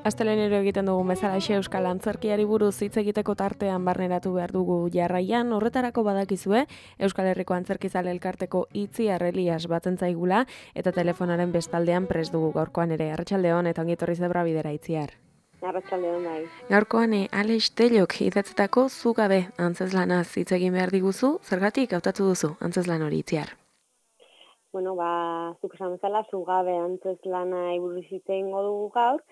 Astelehenero egiten dugun bezalaxe Euskal Antzerkiari buruz hitz egiteko tartean barneratu behar dugu jarraian, horretarako badakizue Euskal Herriko Antzerkizale Elkarteko Itziar Elias batzen zaigula eta telefonaren bestaldean prest dugu gaurkoan ere. Arratsaldeon eta ongi etorri Zebra Bidera Itziar. Arratsaldeon bai. Gaurkoan Alex Tellok idatzetako Zugabe antzezlanaz hitz egin behar diguzu, zergatik hautatu duzu antzezlan hori Itziar? Bueno, zuk esan bezala Zugabe antzezlana buruz hitz egingo dugu gaur.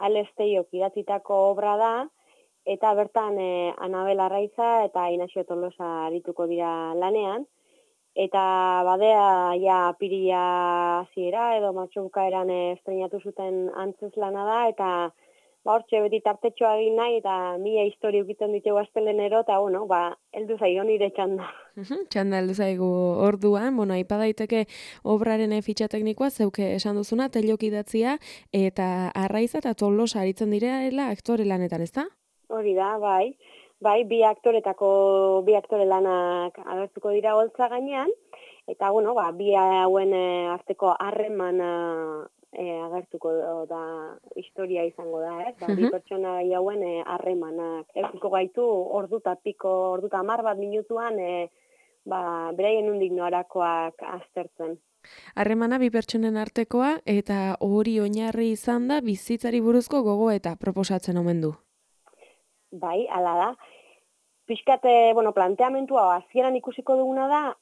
Alex Tellok idatzitako obra da, eta bertan Anabel Arraiza eta Inaxio Tolosa arituko dira lanean, eta badea ja apirila hasiera edo martxobukaeran estreinatu zuten antzezlana da, eta hortxe beti tartetxoa egin nahi, eta 1000 historia ukitzen ditugu astelenero, eta heldu zaio nire txanda. Txanda heldu zaigu orduan, aipa daiteke obraren fitxa teknikoa, zeuke esan duzuna, Tellok idatzia, eta Arraiza eta Tolosa aritzen direla aktore lanetan, ezta? Hori da, bai. Bai, bi aktore lanak agertuko dira holtza gainean, eta bi hauen arteko harremana agertuko da historia izango da, ez? Bi pertsona hauen harremanak. Edukiko gaitu ordu eta 10 minutuan beraien nondik norakoak aztertzen. Harremana bi pertsonen artekoa eta hori oinarri izan da bizitzari buruzko gogoeta proposatzen omen du. Bai, hala da. Pixkat, planteamentua hasieran ikusiko duguna da,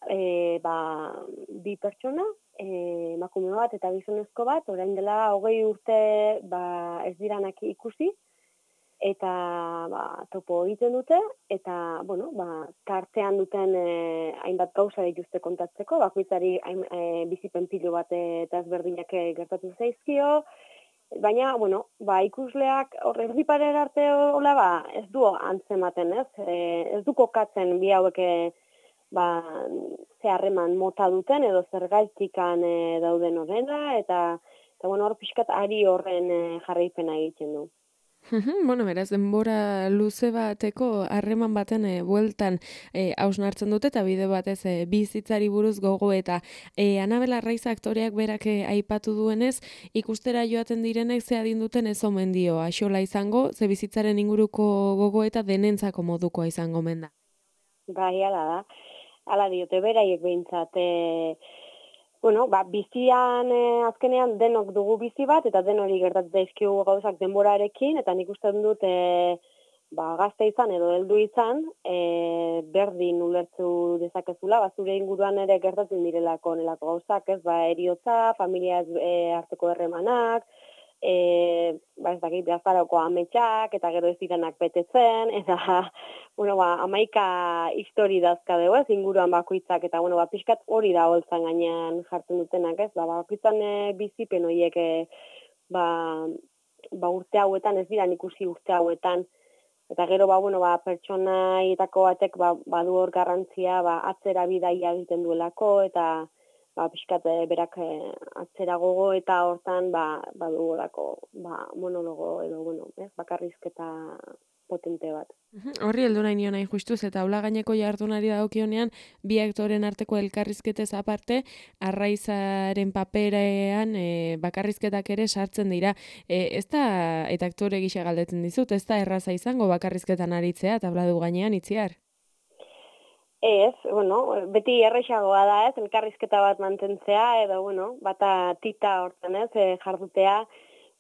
bi pertsona, emakume bat eta gizonezko bat, orain dela 20 urte ez diranak ikusi, eta topo egiten dute, eta, tartean duten hainbat gauza dituzte kontatzeko, bakoitzari bizipen pilo bat eta ezberdinak gertatu zaizkio, baina, ikusleak horrezi parera arte ez du antzematen, ez? Ez du kokatzen bi hauek ze harreman mota duten edo zergaitikan dauden horrena, eta hor pixkat ari horren jarraipena egiten du. Beraz, denbora luze bateko harreman baten bueltan hausnartzen dute eta bide batez bizitzari buruz gogo eta Anabel Arraiza aktoreak berak aipatu duenez, ikustera joaten direnek ze adin duten ez omen dio axola izango, ze bizitzaren inguruko gogo eta denentzako modukoa izango omen da. Bai, hala da. Hala diote beraiek behintzat. Bizian azkenean denok dugu bizi bat, eta den hori gertatzen daizkigu gauzak denborarekin, eta nik uste dut gazte izan edo heldu izan, berdin ulertzu dezakezula, zure inguruan ere gertatzen direlako nelako gauzak, ez eriotza, familia arteko erremanak, ez dakit gaztaroko ametsak, eta gero ez diranak betetzen, eta 11 histori dazka dugu, ez inguruan bakoitzak, eta pixkat hori da holtzan gainean jartzen dutenak, ez, bakoitzan bizipen horiek urte hauetan, ez dira ikusi urte hauetan, eta gero pertsonaietako batek badu hor garrantzia atzera bidaia egiten duelako, eta pixkat berak atzera gogo eta hortan badugolako monologo edo bakarrizketa potente bat. Horri heldu nahi nion justuz eta aula gaineko jardunari dagokionean bi aktoren arteko elkarrizketez aparte Arraizaren paperean bakarrizketak ere sartzen dira. Ez da, eta aktore gisa galdetzen dizut, ez da erraza izango bakarrizketan aritzea tabladu gainean Itziar? Ez, beti errexagoa da, ez, elkarrizketa bat mantentzea, edo, bata tita hortan, ez, jardutea,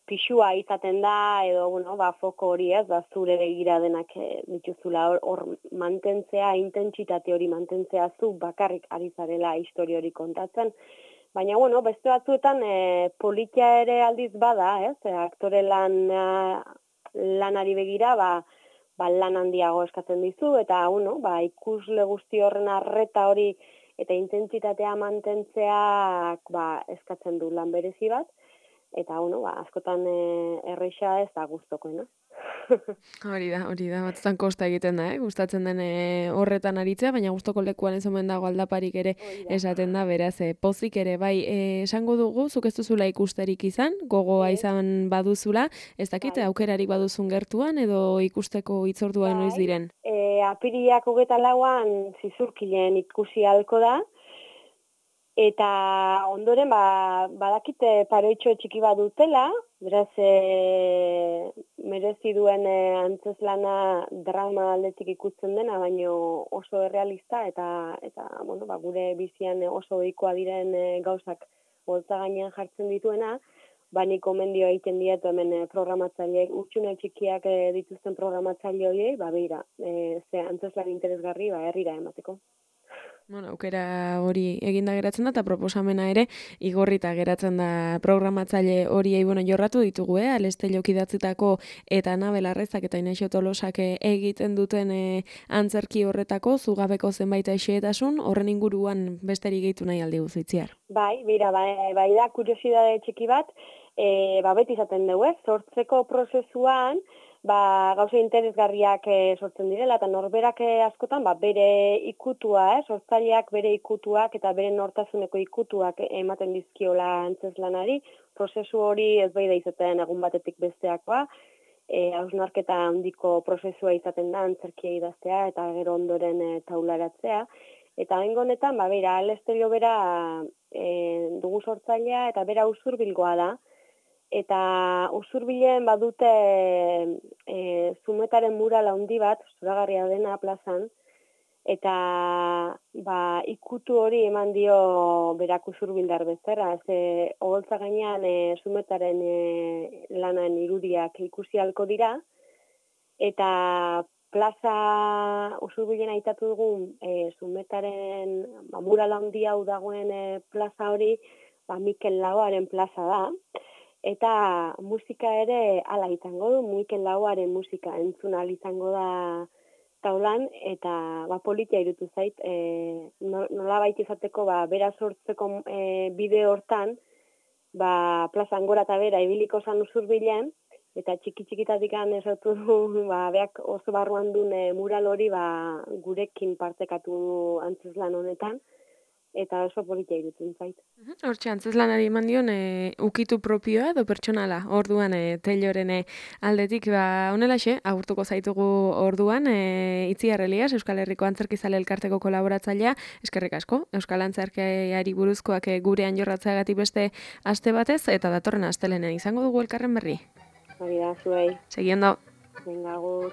pixua izaten da, edo, foko hori, ez, zure begira denak dituzula hor mantentzea, intentsitate hori mantentzea zu bakarrik ari zarela histori hori kontatzen. Baina, beste batzuetan politia ere aldiz bada, ez, aktore lanari begira, lan handiago eskatzen dizu, eta ikusle guzti horren arreta hori eta intentsitatea mantentzeak eskatzen du lan berezi bat, eta askotan erreixa ez da gustokoena. Hori da, batzutan kosta egiten da, gustatzen den horretan aritzea, baina gustoko lekuan ez omen dago aldaparik ere esaten da, beraz, pozik ere, bai, esango dugu, zuk ez duzula ikusterik izan, gogoa izan baduzula, ez dakit, aukerarik baduzun gertuan, edo ikusteko hitzordua noiz diren? Apiriak 24an Zizurkilen ikusi ahalko da, eta ondoren badakite paroitxo txiki bat dutela, beraz merezi duen antzezlana drama aldetik ikusten dena, baino oso errealista eta bueno, gure bizian oso ohikoa diren gauzak boltza gainean jartzen dituena, nik gomendio egiten dietu hemen programatzaileek, utxune txikiak dituzten programatzaile horiei, beira, ze antzezlan interesgarri herrira emateko. Bueno, aukera hori eginda geratzen da, eta proposamena ere igorrita geratzen da programatzaile horiei, jorratu ditugu, Aleste Jokidatzitako eta Anabel Arrezak eta Inaxio Tolosak egiten duten antzerki horretako, zugabeko zenbait xehetasun, horren inguruan besterik gehitu nahi aldi Itziar. Bai da, kuriosidade txiki bat, beti izaten dugu, sortzeko prozesuan, gauza interesgarriak sortzen direla, eta norberak askotan bere ikutua, sortzaileak bere ikutuak eta bere nortasuneko ikutuak ematen dizkiola antzezlanari, prozesu hori ez bai da izaten egun batetik besteakoa, hausnarketa handiko prozesua izaten da antzerkia idaztea eta gero ondoren taularatzea, eta bengo honetan, bera, Alestelio bera dugu sortzailea eta bera Usurbilgoa da, eta Usurbilen badute Zumetaren mural handi bat, zoragarria dena plazan, eta ikutu hori eman dio berak Usurbildar bezala, ze oholtza gainean Zumetaren lanan irudiak ikusi ahalko dira, eta plaza Usurbilen aitatu dugun Zumetaren mural handi hau dagoen plaza hori, Mikel Laboaren plaza da, eta musika ere hala izango du, Mikel Laboaren musika entzun ahal izango da taulan, eta politia irutu zait, nolabait izateko bera sortzeko bide hortan, plazan gora eta bera ibiliko zan Usurbilen, eta txiki-txikitatik esautu du, beak oso barruan duen mural hori gurekin partekatu antzezlan honetan, eta oso politia irutzen zait. Hortxe, antzezlanari eman dion ukitu propioa edo pertsonala, orduan Telloren aldetik, honelaxe, agurtuko zaitugu orduan, Itziar Elias, Euskal Herriko Antzerkizale Elkarteko kolaboratzailea, eskerrik asko, Euskal Antzerkiari buruzkoak gurean jorratzeagatik beste aste batez, eta datorren astelenen izango dugu elkarren berri. Hori da, zuei. Segi ondo. Venga, agur.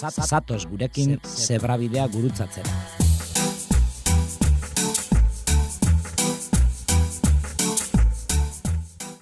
Zatoz gurekin zebrabidea gurutzatzera.